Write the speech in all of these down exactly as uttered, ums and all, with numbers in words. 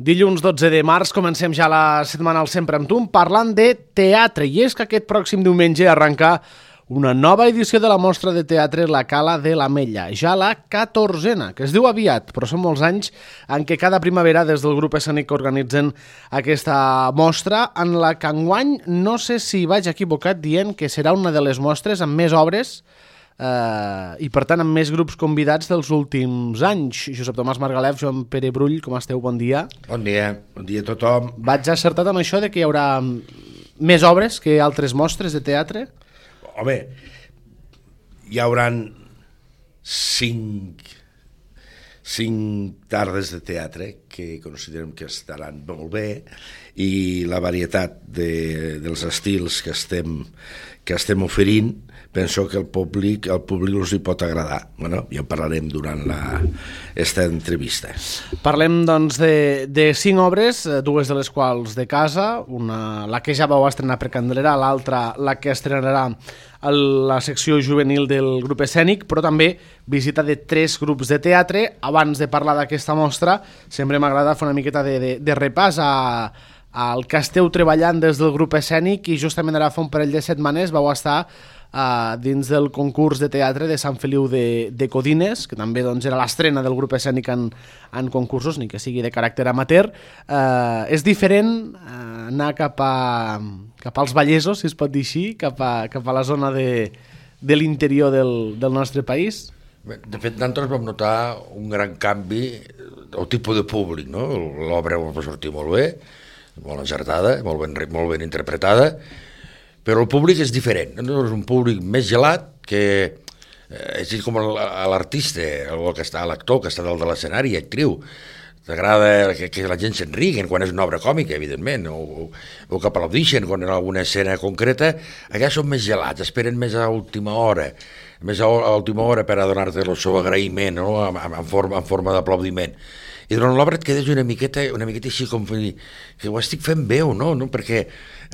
Dilluns dotze de març comencem ja la setmana al Sempre amb tu parlant de teatre, i és que aquest pròxim diumenge arrenca una nova edició de la mostra de teatre La Cala de l'Ametlla, ja la catorzena, que es diu aviat, però són molts anys en què cada primavera des del grup escènic organitzen aquesta mostra, en la que enguany no sé si vaig equivocat dient que serà una de les mostres amb més obres Uh, i per tant amb més grups convidats dels últims anys. Josep Tomàs Margalef, Joan Pere Brull, com esteu? Bon dia. Bon dia, bon dia a tothom. Vaig acertat amb això de que hi haurà més obres que altres mostres de teatre? Home, hi hauran cinc, cinc tardes de teatre que considerem que estaran molt bé, i la varietat de, dels estils que estem, que estem oferint, penso que el públic, el públic els hi pot agradar. Bueno, ja en parlarem durant la, esta entrevista. Parlem, doncs, de, de cinc obres, dues de les quals de casa, una, la que ja vau estrenar per Candelera, l'altra la que estrenarà a la secció juvenil del grup escènic, però també visita de tres grups de teatre. Abans de parlar d'aquesta mostra, sempre m'agrada fer una miqueta de, de, de repàs a, al que esteu treballant des del grup escènic, i justament ara fa un parell de setmanes vau estar Uh, dins del concurs de teatre de Sant Feliu de, de Codines, que també doncs, era l'estrena del grup escènic en, en concursos, ni que sigui de caràcter amateur. Uh, és diferent uh, anar cap, a, cap als Vallesos, si es pot dir així, cap a, cap a la zona de, de l'interior del, del nostre país? De fet, nosaltres vam notar un gran canvi del tipus de públic, no? L'obra va sortir molt bé, molt encertada, molt ben, molt ben interpretada, però el públic és diferent, no? És un públic més gelat, que eh, és com l'artista, l'actor que està dalt de l'escenari, actriu. T'agrada que, que la gent s'enriguen quan és una obra còmica, evidentment, o, o que aplaudixen quan en alguna escena concreta. Allà són més gelats, esperen més a última hora, més a, a última hora per a donar-te el seu agraïment, no? en, en forma, en forma d'aplaudiment. I durant l'obra et quedes una miqueta, una miqueta així com que ho estic fent bé o no, no? Perquè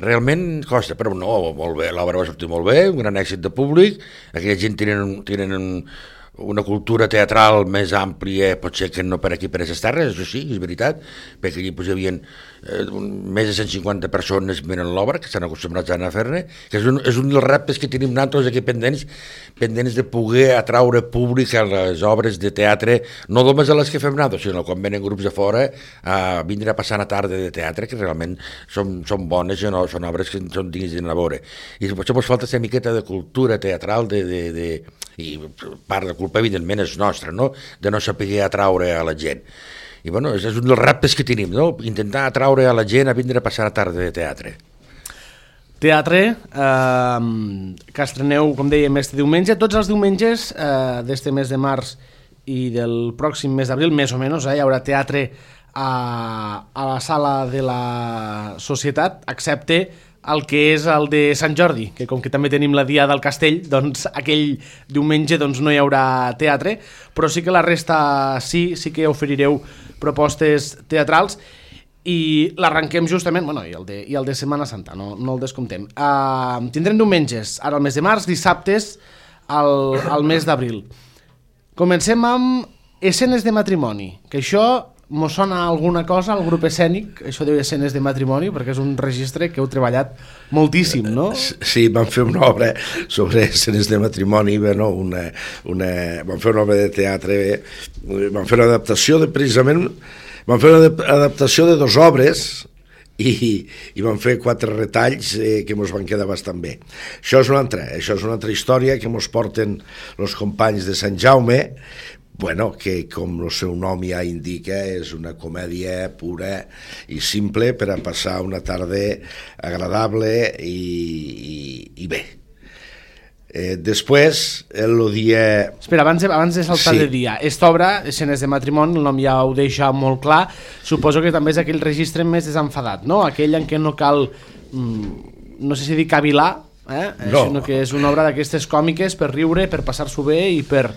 realment costa, però no, molt bé, l'obra va sortir molt bé, un gran èxit de públic, aquella gent tenen, tenen un, una cultura teatral més àmplia, potser que no per aquí, per aquestes terres, això sí, és veritat, perquè allí pues, hi havia eh, més de cent cinquanta persones mirant l'obra, que estan acostumbrats a anar a fer-ne, que és un, és un dels reptes que tenim nosaltres aquí pendents, pendents de poder atraure públic a les obres de teatre, no només a les que fem nosaltres, sinó quan venen grups de fora a vindre a passar una tarda de teatre, que realment són, són bones, no, són obres que són dignes d'anar a veure. I potser ens falta aquesta miqueta de cultura teatral, de, de, de, i part de culpa evidentment és nostra, no? De no saber atraure a la gent. I bueno, és un dels reptes que tenim, no? Intentar atraure a la gent a vindre a passar la tarda de teatre. Teatre, eh, que estreneu, com dèiem, este diumenge. Tots els diumenges eh, d'este mes de març i del pròxim mes d'abril, més o menys, eh, hi haurà teatre a, a la sala de la Societat, excepte el que és el de Sant Jordi, que com que també tenim la Diada del Castell, doncs aquell diumenge doncs, no hi haurà teatre, però sí que la resta sí, sí que oferireu propostes teatrals, i l'arrenquem justament, bueno, i el de, i el de Setmana Santa, no, no el descomptem. Uh, tindrem diumenges, ara al mes de març, dissabtes al, al mes d'abril. Comencem amb escenes de matrimoni, que això mos sona alguna cosa al grup escènic, això de escenes de matrimoni, perquè és un registre que heu treballat moltíssim, no? Sí, vam fer una obra sobre escenes de matrimoni, bueno, una, una, vam fer una obra de teatre, vam fer una adaptació de, precisament, vam fer una adaptació de dues obres, i, i vam fer quatre retalls eh, que ens van quedar bastant bé. Això és una altra, això és una altra història que ens porten els companys de Sant Jaume, bueno, que com el seu nom ja indica és una comèdia pura i simple per a passar una tarda agradable i, i, i bé. Eh, després, el dia... Espera, abans de, abans de saltar sí. de dia, esta obra, Escenes de matrimoni, el nom ja ho deixa molt clar, suposo que també és aquell registre més desenfadat, no? Aquell en què no cal, mm, no sé si dir cavilar, eh? No. Sinó que és una obra d'aquestes còmiques per riure, per passar-s'ho bé i per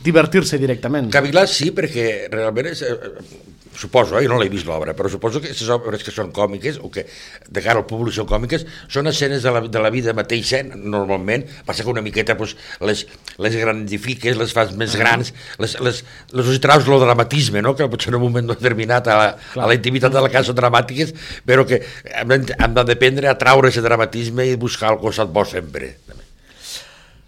divertir-se directament. Cavilar sí, perquè realment és, suposo, eh, jo no l'he vist l'obra, però suposo que aquestes obres que són còmiques, o que de cara al públic són còmiques, són escenes de la, de la vida mateixa, normalment, passa que una miqueta pues, les, les grandifiques, les fas més grans, les, les, les hi traus el dramatisme, no? Que potser en un moment determinat a la, a la intimitat de la casa són dramàtiques, però que hem de, hem d'aprendre a traure aquest dramatisme i buscar el costat bo sempre.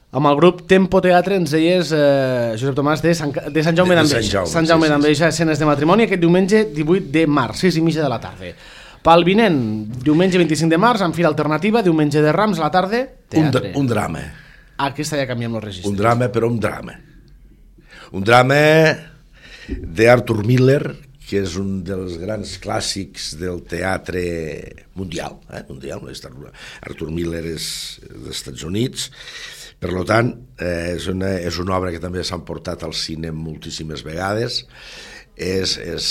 Amb el grup Tempo Teatre ens deies, eh, Josep Tomàs, de Sant, de Sant Jaume d'Enveja. Sant Jaume sí, d'Enveja, sí, sí. Escenes de matrimoni, aquest diumenge divuit de març, sis i mitja de la tarda. Pel vinent, diumenge vint-i-cinc de març, amb Fira Alternativa, diumenge de Rams, a la tarda, teatre. Un, un drama. Aquesta ja canviem els registres. Un drama, però un drama. Un drama d'Arthur Miller, que és un dels grans clàssics del teatre mundial. Eh? mundial Arthur Miller és dels Estats Units. Per tant, eh, és, una, és una obra que també s'han portat al cine moltíssimes vegades. És, és,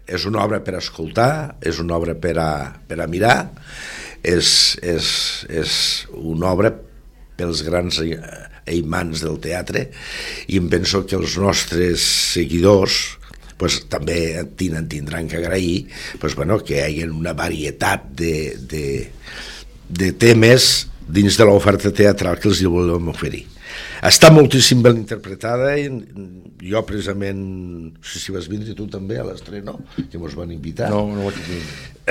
és una obra per a escoltar, és una obra per a, per a mirar, és, és, és una obra pels grans imants del teatre, i em penso que els nostres seguidors pues, també tenen, tindran que agrair pues, bueno, que hi hagi una varietat de, de, de temes dins de l'oferta teatral que els volem oferir. Està moltíssim ben interpretada, i jo precisament, no sé si vas vindre tu també a l'estreno, que ens van invitar. No, no ho vaig dir.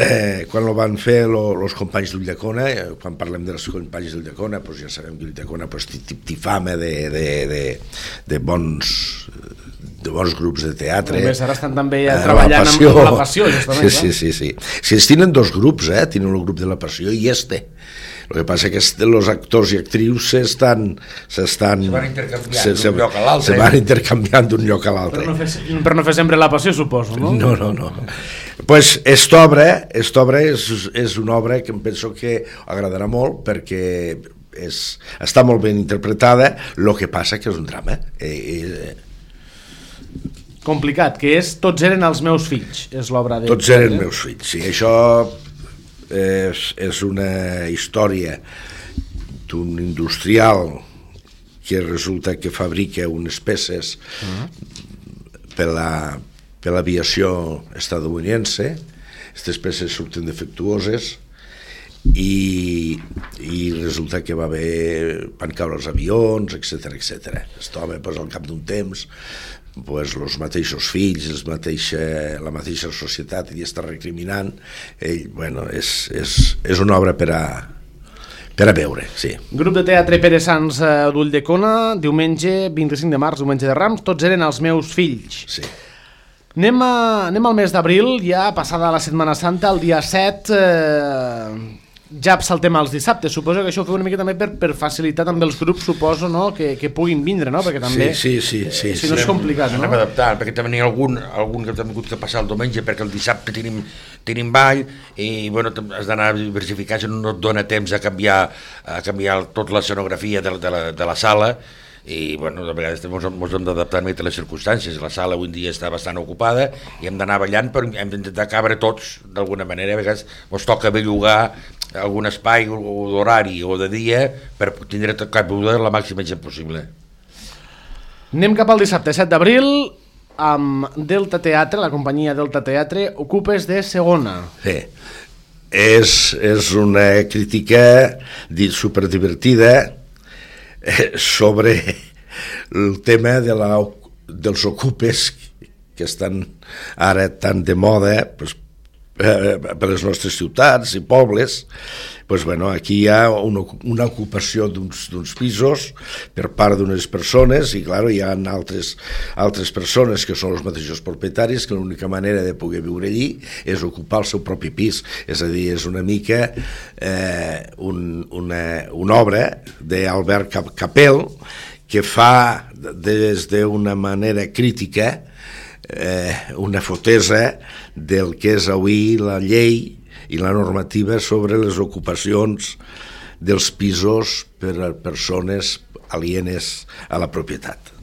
Eh, quan ho van fer els companys d'Ulldecona, eh, quan parlem dels companys d'Ulldecona, pues ja sabem que Ulldecona pues, t'ifama de, de, de, de bons de bons grups de teatre. Només ara estan també ja treballant la amb la Passió, justament. Sí, sí, sí, sí. Si es tenen dos grups, eh? Tenen el grup de la Passió i este. El que passa que els actors i actrius s'estan... s'estan se van intercanviant d'un lloc a l'altre. Se van intercanviant d'un lloc a l'altre. Per no fer, per no fer sempre la Passió, suposo, no? No, no, no. Pues esta obra, esta obra és, és una obra que em penso que agradarà molt, perquè és, està molt ben interpretada, el que passa que és un drama. Eh, eh, Complicat, que és Tots eren els meus fills, és l'obra de... Tots eren meus fills, sí. Això és, és una història d'un industrial que resulta que fabrica unes peces uh-huh. per la, per l'aviació estadounidense. Aquestes peces surten defectuoses i, i resulta que va haver, van caure els avions, etcètera, etcètera. Aquest home, pues, al cap d'un temps, pues, els mateixos fills, els mateixa, la mateixa societat li està recriminant. Ell, bueno, és, és, és una obra per a, per a veure, sí. Grup de teatre Pere Sans d'Ulldecona, diumenge vint-i-cinc de març, diumenge de Rams, Tots eren els meus fills. Sí. Anem, a, anem al mes d'abril, ja passada la Setmana Santa, el dia set... Eh... ja saltem als dissabtes, suposo que això ho feu una mica també per, per facilitar també els grups, suposo, no? que, que puguin vindre, no? Perquè també, sí, sí, sí, sí, si no sí. és complicat, no? Anem adaptant, perquè també n'hi ha algun, algun que hem hagut que passar el diumenge, perquè el dissabte tenim, tenim ball, i bueno, has d'anar diversificant, si no et dona temps a canviar, a canviar tota l'escenografia de, de, la, de la sala, i bueno, de vegades ens hem d'adaptar a les circumstàncies. La sala avui en dia està bastant ocupada i hem d'anar ballant, però hem d'intentar cabre tots d'alguna manera. A vegades ens toca bellugar algun espai o d'horari o de dia per tindre tot cabuda la màxima gent possible. Anem cap al dissabte set d'abril amb Delta Teatre, la companyia Delta Teatre, Ocupes de segona. Sí. És, és una crítica superdivertida sobre el tema de la, dels ocupes que estan ara tan de moda pues, eh, per les nostres ciutats i pobles. Pues, bueno, aquí hi ha una, una ocupació d'uns pisos per part d'unes persones i clar, hi ha altres, altres persones que són els mateixos propietaris que l'única manera de poder viure allí és ocupar el seu propi pis. És a dir, és una mica eh, un, una, una obra d'Albert Capel que fa des d'una manera crítica eh, una fotesa del que és avui la llei i la normativa sobre les ocupacions dels pisos per a persones alienes a la propietat.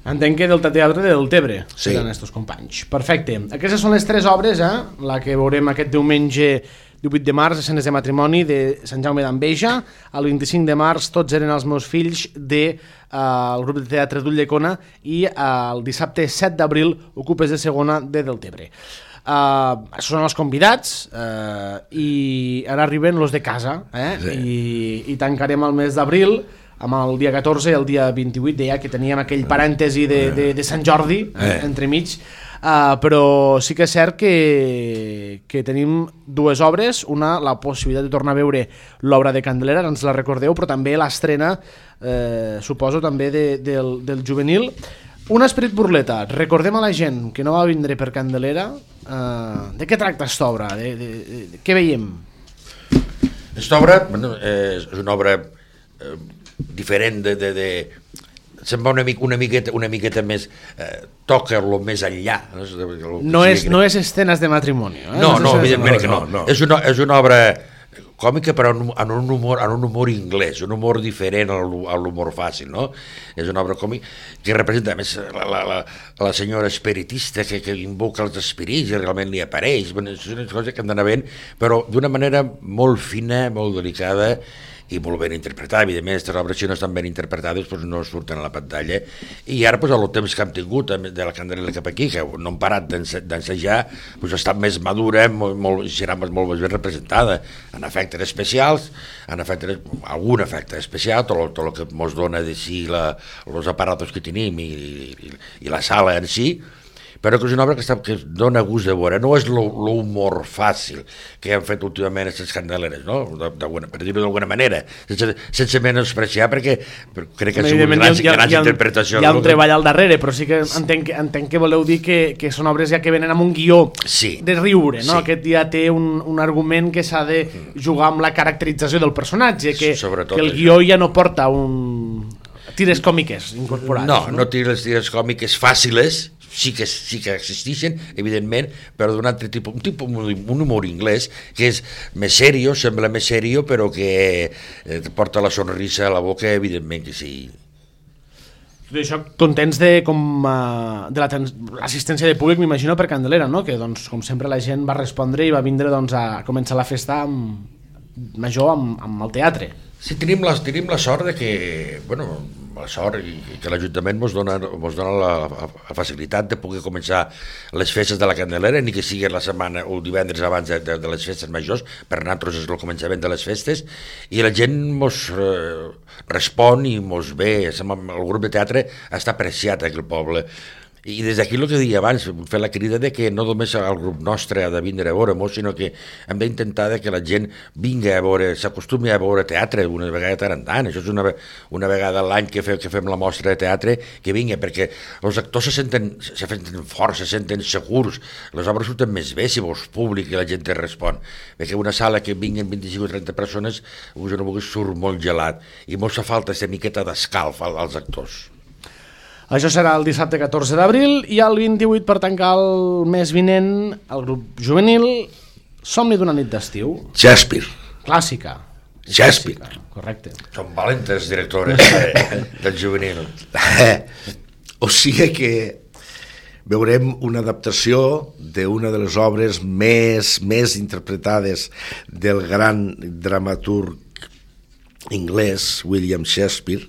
Entenc que Delta Teatre del Tebre sí. seran estos companys. Perfecte. Aquestes són les tres obres, eh? La que veurem aquest diumenge divuit de març, escenes de matrimoni de Sant Jaume d'Enveja, el vint-i-cinc de març tots eren els meus fills del de, uh, grup de teatre d'Ulldecona i uh, el dissabte set d'abril Ocupes de segona de Deltebre. Uh, són els convidats uh, i ara arriben los de casa, eh? sí. I, i tancarem el mes d'abril amb el dia catorze i el dia vint-i-vuit, deia que teníem aquell parèntesi de, de, de Sant Jordi eh. entremig, uh, però sí que és cert que, que tenim dues obres, una, la possibilitat de tornar a veure l'obra de Candelera, ens la recordeu, però també l'estrena, eh, suposo, també de, del, del juvenil. Un esperit burleta, recordem a la gent que no va vindre per Candelera, uh, de què tracta aquesta obra? De, de, de, de, què veiem? Aquesta obra bueno, és una obra eh, diferent de... de, de... se'n va una, mica, una, miqueta, una miqueta més... Eh, toca lo més enllà. No, no, és, no és escenes de matrimoni. Eh? No, no, no evidentment que no. no, no. És, una, és una obra còmica però en un humor, en un humor anglès, un humor diferent a l'humor fàcil, no? És una obra còmica que representa més la, la, la, la senyora espiritista que, que invoca els espirits i realment li apareix. És una cosa que han d'anar ben, però d'una manera molt fina, molt delicada i molt ben interpretada. Evidentment, aquestes obres, si no estan ben interpretades, doncs no surten a la pantalla. I ara, doncs, el temps que hem tingut de la Candelera cap aquí, que no hem parat d'ensejar, doncs ha estat més madura, molt, molt, serà molt més ben representada, en efectes especials, en efectes, algun efecte especial, tot el, tot el que ens dona de si els aparatos que tenim i, i, i la sala en si, però que és una obra que, està, que dona gust de veure, no és l'humor fàcil que han fet últimament aquestes Candeleres, no? De, de, per dir-ho d'alguna manera, sense, sense menospreciar, perquè crec que són grans, ha, grans ha, interpretacions. Hi ha un treball al darrere, però sí que entenc, entenc que voleu dir que, que són obres ja que venen amb un guió sí. de riure, no? Sí. Aquest ja té un, un argument que s'ha de jugar amb la caracterització del personatge, que, que el guió ja no porta un... tires còmiques incorporades. No, no, no tires tires còmiques fàciles, sí que, sí que existeixen, evidentment, però d'un altre tipus, un tipus, un humor anglès que és més serio, sembla més serio, però que eh, porta la sonrisa a la boca, evidentment que sí. D'això, contents de, com, uh, de l'assistència de públic, m'imagino, per Candelera, no? Que, doncs, com sempre, la gent va respondre i va vindre doncs, a començar la festa amb, major amb, amb el teatre. Sí, tenim la, tenim la sort de que, bueno, la sort i que l'Ajuntament ens dona, ens dona la, la facilitat de poder començar les festes de la Candelera, ni que sigui la setmana o divendres abans de, de, de les festes majors, per nosaltres és el començament de les festes, i la gent ens eh, respon i ens ve, el grup de teatre està apreciat aquí al poble. I des d'aquí el que deia abans, fer la crida de que no només el grup nostre ha de vindre a veure-nos, sinó que hem d'intentar que la gent vingui a veure, s'acostumi a veure teatre una vegada tant en tant. Això és una, una vegada a l'any que, fe, que fem la mostra de teatre, que vingui, perquè els actors se senten, se senten forts, se senten segurs, les obres surten més bé si vols públic i la gent te respon. Perquè una sala que vinguin vint-i-cinc o trenta persones, us no vulguis, surt molt gelat, i molt fa falta aquesta miqueta d'escalf als actors. Això serà el dissabte catorze d'abril i el vint-i-vuit, per tancar el mes vinent, el grup juvenil Somni d'una nit d'estiu. Shakespeare. Clàssica. Shakespeare. Clàssica. Correcte. Són valentes directores de, del juvenil. O sigui que veurem una adaptació d'una de les obres més, més interpretades del gran dramaturg anglès William Shakespeare.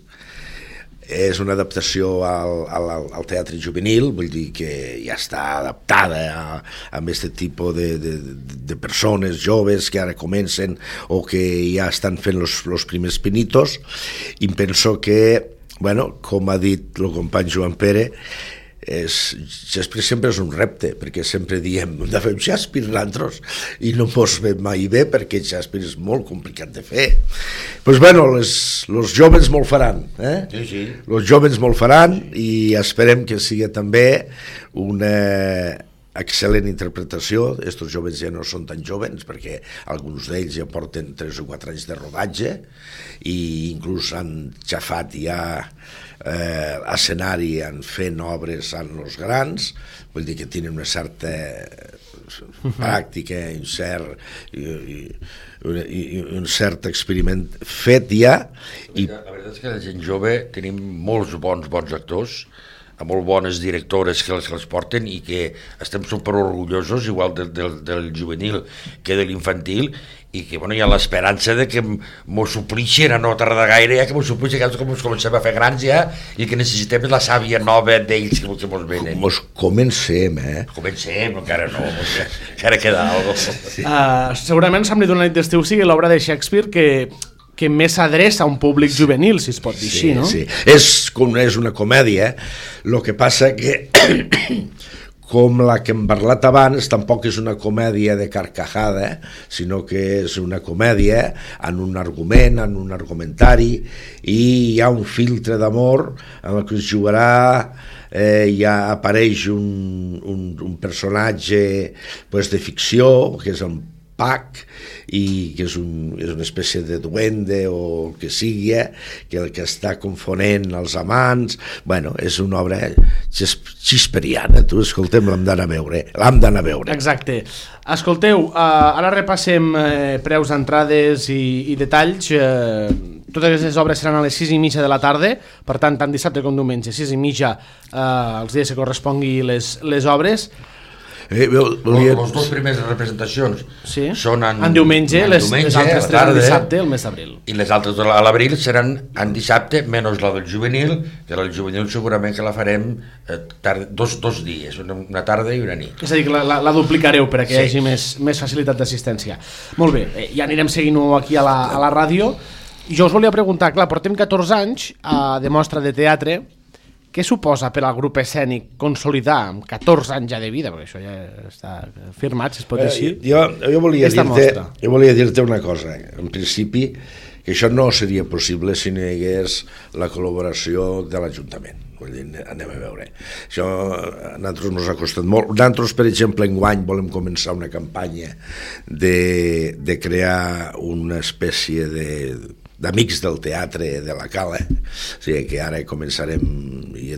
És una adaptació al, al, al teatre juvenil, vull dir que ja està adaptada a, a aquest tipus de, de, de persones joves que ara comencen o que ja estan fent els primers pinitos, i penso que, bueno, com ha dit el company Joan Pere, és, Shakespeare sempre és un repte, perquè sempre diem hem de fer Shakespeare nosaltres i no mos ve mai bé, perquè Shakespeare és molt complicat de fer. Doncs pues bueno, els joves molt faran, eh? Sí, sí. Els joves molt faran i esperem que sigui també una excel·lent interpretació. Estos joves ja no són tan joves, perquè alguns d'ells ja porten tres o quatre anys de rodatge i inclús han xafat ja eh, escenari en fent obres en els grans, vull dir que tenen una certa pràctica, un cert, i, i, i, i un cert experiment fet ja. I... La veritat és que la gent jove tenim molts bons bons actors molt bones directores que les, que les porten i que estem super orgullosos igual del, del, del juvenil que de l'infantil, i que bueno, hi ha l'esperança de que m'ho suplixin a no tardar gaire ja, que m'ho suplixin, que ens comencem a fer grans ja i que necessitem la sàvia nova d'ells que, que mos venen. Mos comencem, eh? Comencem, encara no, encara queda alguna cosa. Sí. Uh, segurament Sant Bri d'una nit d'estiu sigui l'obra de Shakespeare que, que més s'adreça a un públic juvenil, si es pot dir sí, així, no? Sí, és, com, és una comèdia, el que passa que com la que hem parlat abans, tampoc és una comèdia de carcajada, sinó que és una comèdia en un argument, en un argumentari, i hi ha un filtre d'amor en el que es jugarà, eh, ja apareix un, un, un personatge pues, de ficció, que és el Pac, i que és, un, és una espècie de duende o el que sigui, que el que està confonent els amants. Bueno, és una obra xisperiana, tu, escoltem, l'hem d'anar a veure, l'hem d'anar a veure. Exacte. Escolteu, uh, ara repassem uh, preus d'entrades i, i detalls. Uh, totes aquestes obres seran a les sis i mitja de la tarda, per tant, tant dissabte com diumenge, sis i mitja, uh, els dies que correspongui les, les obres. Eh, volia... Les dues primeres representacions sí. són en, en diumenge, en les, diumenge, les altres tres en dissabte, el mes d'abril. I les altres a l'abril seran en dissabte, menys la del juvenil, que la del juvenil segurament que la farem eh, tard, dos, dos dies, una, una tarda i una nit. És a dir, que la, la, la duplicareu perquè sí. hi hagi més, més facilitat d'assistència. Molt bé, eh, ja anirem seguint-ho aquí a la, a la ràdio. Jo us volia preguntar, clar, portem catorze anys a de mostra de teatre. Què suposa per al grup escènic consolidar amb catorze anys ja de vida, perquè això ja està firmat, si es pot dir així? Eh, jo, jo, volia dir-te, jo volia dir-te una cosa. En principi, que això no seria possible si no hi hagués la col·laboració de l'Ajuntament. Vull dir, anem a veure. Això a nosaltres ens ha costat molt. Nosaltres, per exemple, enguany volem començar una campanya de, de crear una espècie de d'amics del teatre de la Cala, o sigui que ara començarem i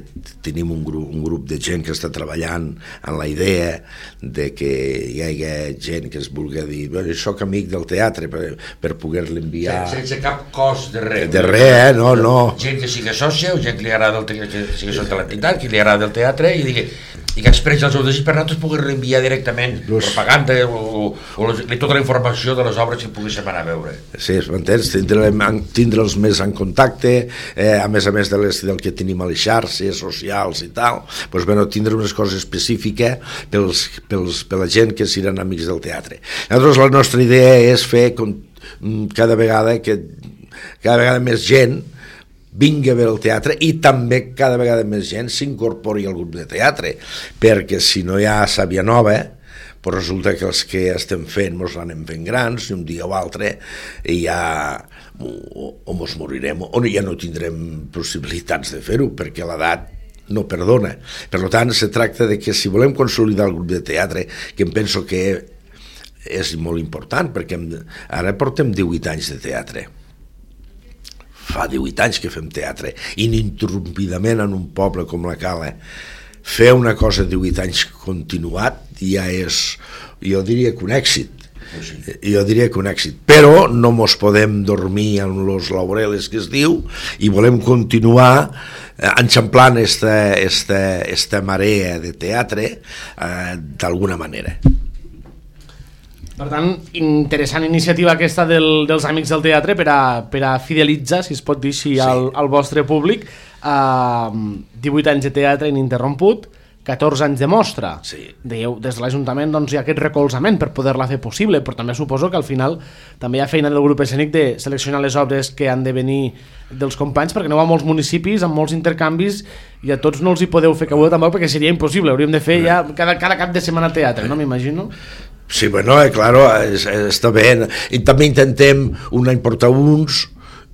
tenim un grup, un grup de gent que està treballant en la idea de que hi hagi gent que es vulgui dir jo soc amic del teatre per, per poder-li enviar sense cap cost de res de res, eh? no, no gent que sigui sòcia o gent que li agrada el teatre, que sigui sòcia de l'entitat, que li agrada el teatre i digui i que expressi el seu desig per nosaltres poder-li enviar directament Los... propaganda o, o les, tota la informació de les obres que poguéssim anar a veure. Sí, m'entens? Tindre'ls tindre més en contacte, eh, a més a més de les, del que tenim a les xarxes socials i tal, doncs, bueno, tindre unes coses específiques pels, pels, per la gent que seran amics del teatre. Llavors la nostra idea és fer com, cada vegada que cada vegada més gent vingui a veure el teatre i també cada vegada més gent s'incorpori al grup de teatre, perquè si no hi ha sàvia nova, doncs resulta que els que estem fent mos l'anem fent grans i un dia o altre i ja o, o mos morirem o ja no tindrem possibilitats de fer-ho perquè l'edat no perdona. Per tant, se tracta de que si volem consolidar el grup de teatre, que em penso que és molt important, perquè ara portem divuit anys de teatre. Fa divuit anys que fem teatre, ininterrompidament en un poble com la Cala. Fer una cosa divuit anys continuat ja és, jo diria que un èxit. Sí. Jo diria que un èxit. Però no mos podem dormir en los laureles que es diu i volem continuar enxamplant esta, esta, esta marea de teatre eh, d'alguna manera. Per tant, interessant iniciativa aquesta del, dels Amics del Teatre per a, per a fidelitzar, si es pot dir així, sí. al, al vostre públic. Uh, divuit anys de teatre ininterromput, catorze anys de mostra. Sí. Deieu, des de l'Ajuntament doncs, hi ha aquest recolzament per poder-la fer possible, però també suposo que al final també hi ha feina del grup escènic de seleccionar les obres que han de venir dels companys, perquè aneu a molts municipis, amb molts intercanvis, i a tots no els hi podeu fer cabuda tampoc, perquè seria impossible, hauríem de fer ja cada, cada cap de setmana teatre, no m'imagino? Sí, bueno, eh, claro, es, està bé. I també intentem un any portar uns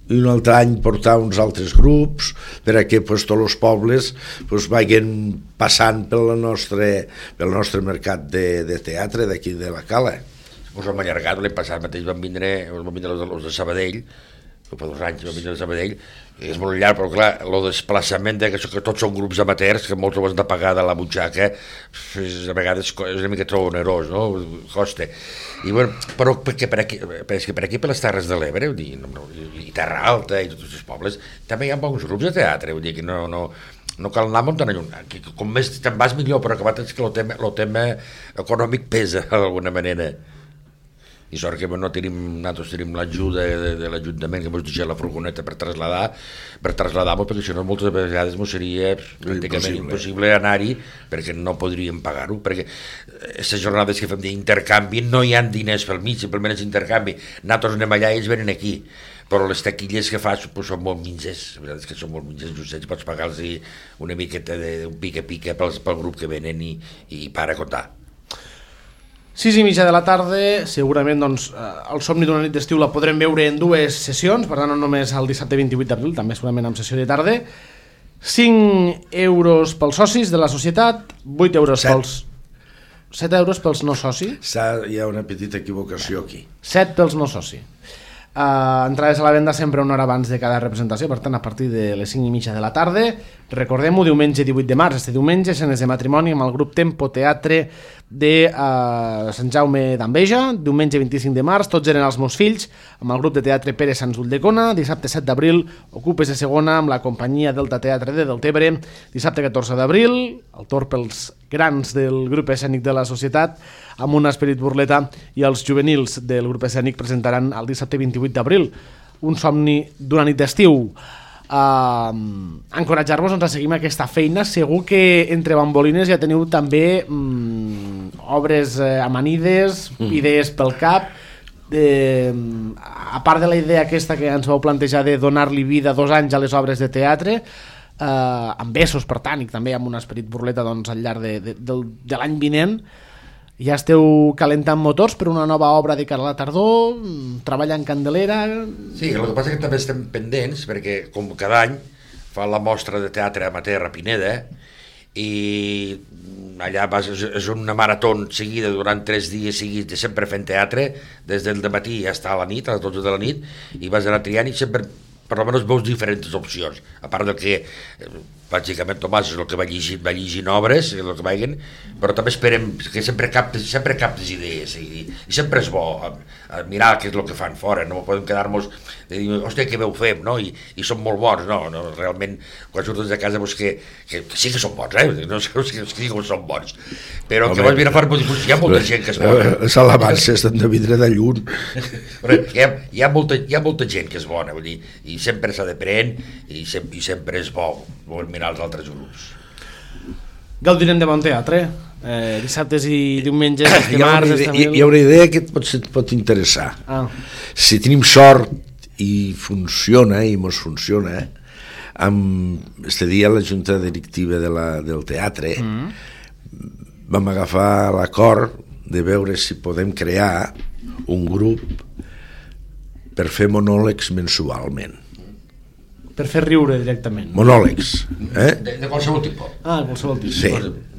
i un altre any portar uns altres grups perquè pues, tots els pobles pues, vagin passant pel nostre, pel nostre mercat de, de teatre d'aquí de la Cala. Pues hem allargat, l'any passat mateix van vindre, van vindre els, els de Sabadell, fa dos anys van vindre de Sabadell, és molt llarg, però clar, el desplaçament de que, que tots són grups amateurs, que molts ho has de pagar de la butxaca, és, a vegades és una mica trop onerós, no? Costa. I bueno, però perquè per aquí, per, per aquí per les Terres de l'Ebre, i, i Terra Alta i tots els pobles, també hi ha bons grups de teatre, vull dir que no, no, no cal anar molt tan lluny, com més te'n vas millor, però acabat és que el tema, el tema econòmic pesa d'alguna manera. I sort que no tenim, nosaltres tenim l'ajuda de, de l'Ajuntament que ens deixa la furgoneta per traslladar, per traslladar-nos, perquè si no moltes vegades ens seria pràcticament impossible anar-hi, perquè no podríem pagar-ho, perquè aquestes jornades que fem d'intercanvi no hi ha diners pel mig, simplement és intercanvi, nosaltres anem allà i ells venen aquí, però les taquilles que fas pues, són molt minses, la veritat és que són molt minses, justets, pots pagar-los una miqueta d'un pica-pica pel, pel grup que venen i, i para comptar. sis i mitja de la tarda, segurament doncs, el somni d'una nit d'estiu la podrem veure en dues sessions, per tant no només el dissabte vint-i-vuit d'abril, també segurament amb sessió de tarda. cinc euros pels socis de la societat, vuit euros set. pels... set euros pels no socis. Hi ha una petita equivocació aquí. set pels no socis. Uh, entrades a la venda sempre una hora abans de cada representació, per tant a partir de les cinc i mitja de la tarda. Recordem-ho, diumenge divuit de març, este diumenge, escenes de matrimoni amb el grup Tempo Teatre de uh, Sant Jaume d'Enveja. Diumenge vint-i-cinc de març, tots eren els meus fills, amb el grup de teatre Pere Sans Ulldecona. Dissabte set d'abril, Ocupes de segona amb la companyia Delta Teatre de Deltebre. Dissabte catorze d'abril, el torn pels grans del grup escènic de la societat, amb un esperit burleta, i els juvenils del grup escènic presentaran el dissabte vint-i-vuit d'abril un somni d'una nit d'estiu. Uh, encoratjar-vos doncs, a seguir aquesta feina. Segur que entre bambolines ja teniu també um, obres uh, amanides, mm. idees pel cap. De, a part de la idea aquesta que ens vau plantejar de donar-li vida dos anys a les obres de teatre, Uh, amb besos per tant, i també amb un esperit burleta doncs, al llarg de, de, de, de l'any vinent, ja esteu calentant motors per una nova obra de cara a la tardor, treballant Candelera. Sí, el que passa és que també estem pendents, perquè com cada any fa la mostra de teatre amateur a Pineda, i allà vas, és una marató seguida durant tres dies seguits de sempre fent teatre, des del dematí fins a la nit, a les dotze de la nit, i vas anar triant i sempre per almenys veus diferents opcions, a part del que bàsicament Tomàs és el que va llegint, va llegint obres, el que vagin, però també esperem que sempre captes, sempre captes idees, i, i sempre és bo a, a mirar què és el que fan fora, no podem quedar-nos de dir, hòstia, què veu fem, no? I, i són molt bons, no, no realment, quan surtes de casa veus que, que, que sí que són bons, eh? No sé que sí que són bons, però que vas venir a fora, hi ha molta gent que és bona. Les alabances han de vindre de lluny. Hi ha, hi, ha molta, hi ha molta gent que és bona, vull dir, i sempre s'ha d'aprendre, i, sem i sempre és bo, bo mirar els altres grups. Gaudirem de bon teatre, eh, dissabtes i diumenges, hi, ha idea, hi, hi ha una idea que et pot, et pot interessar. Ah. Si tenim sort i funciona, i mos funciona, amb este dia la junta directiva de la, del teatre mm. vam agafar l'acord de veure si podem crear un grup per fer monòlegs mensualment. Per fer riure directament. Monòlegs. Eh? De, de qualsevol tipus. Ah, qualsevol tipus. Sí.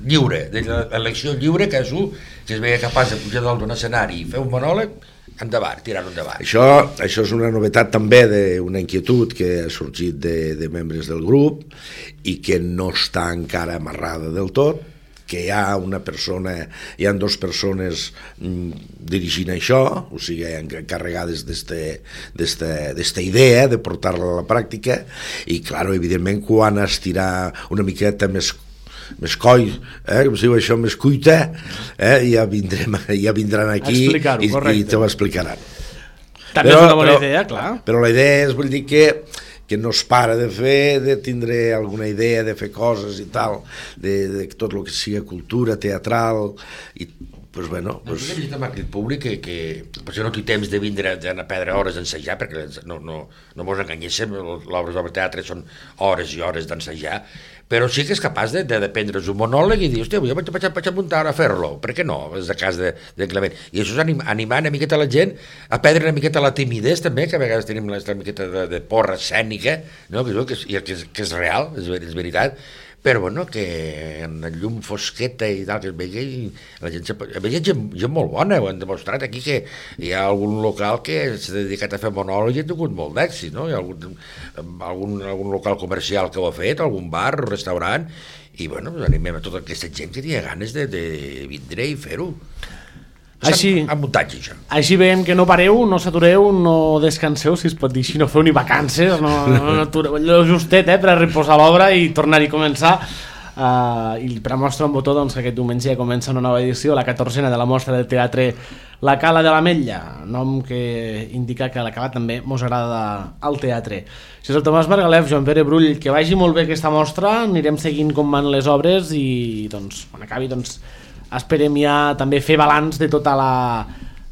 Lliure, de l'elecció lliure, que és un que es veia capaç de pujar dalt d'un escenari i fer un monòleg, endavant, tirar-ho endavant. Això, això és una novetat també d'una inquietud que ha sorgit de, de membres del grup i que no està encara amarrada del tot, que hi ha una persona, hi ha dues persones mm, dirigint això, o sigui, encarregades d'esta idea de portar-la a la pràctica, i, clar, evidentment, quan es tira una miqueta més més coi, eh, com si diu això, més cuita, eh, ja, vindrem, ja vindran aquí i, i te ho explicaran. També però, és una bona però, idea, clar. Però la idea és, vull dir que que no es para de fer, de tindre alguna idea, de fer coses i tal, de, de tot el que sigui cultura, teatral, i pues bueno... Pues... Hem vist amb aquest públic que, que potser no té temps de vindre a perdre hores d'ensejar, perquè no, no, no mos enganyéssim, l'obres de teatre són hores i hores d'ensejar, però sí que és capaç de, de, de prendre's un monòleg i dir, hòstia, jo vaig, vaig, vaig apuntar a fer-lo, per què no? És de cas de, de Clement. I això és anim, animar una miqueta la gent a perdre una miqueta la timidesa també, que a vegades tenim una miqueta de, de porra escènica, no? que, que, és, que, és, que és real, és, és veritat, però bueno, que en la llum fosqueta i tal, que es vegi, la gent, a veure, gent, gent molt bona, ho han demostrat aquí, que hi ha algun local que s'ha dedicat a fer monòleg i ha tingut molt d'èxit, no? Hi ha algun, algun, algun local comercial que ho ha fet, algun bar, restaurant, i bueno, animem a tota aquesta gent que tingui ganes de, de vindre i fer-ho. Així, amb muntatge, això. Així veiem que no pareu, no s'atureu, no descanseu, si es pot dir així, no feu ni vacances, no, no, no atureu, allò justet, eh, per a reposar l'obra i tornar-hi a començar. Uh, I per a mostra un botó, doncs, que aquest diumenge ja comença una nova edició, la catorzena de la mostra de teatre La Cala de l'Ametlla, nom que indica que la Cala també mos agrada al teatre. Si és el Tomàs Margalef, Joan Pere Brull, que vagi molt bé aquesta mostra, anirem seguint com van les obres i doncs, quan acabi, doncs, esperem ja també fer balanç de tota la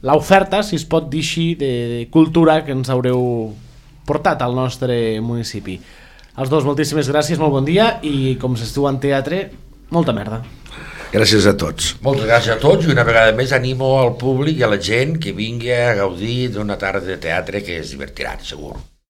l'oferta, si es pot dir així, de, de cultura que ens haureu portat al nostre municipi. Els dos, moltíssimes gràcies, molt bon dia i com s'es diu en teatre, molta merda. Gràcies a tots. Moltes gràcies a tots i una vegada més animo al públic i a la gent que vingui a gaudir d'una tarda de teatre que es divertiran, segur.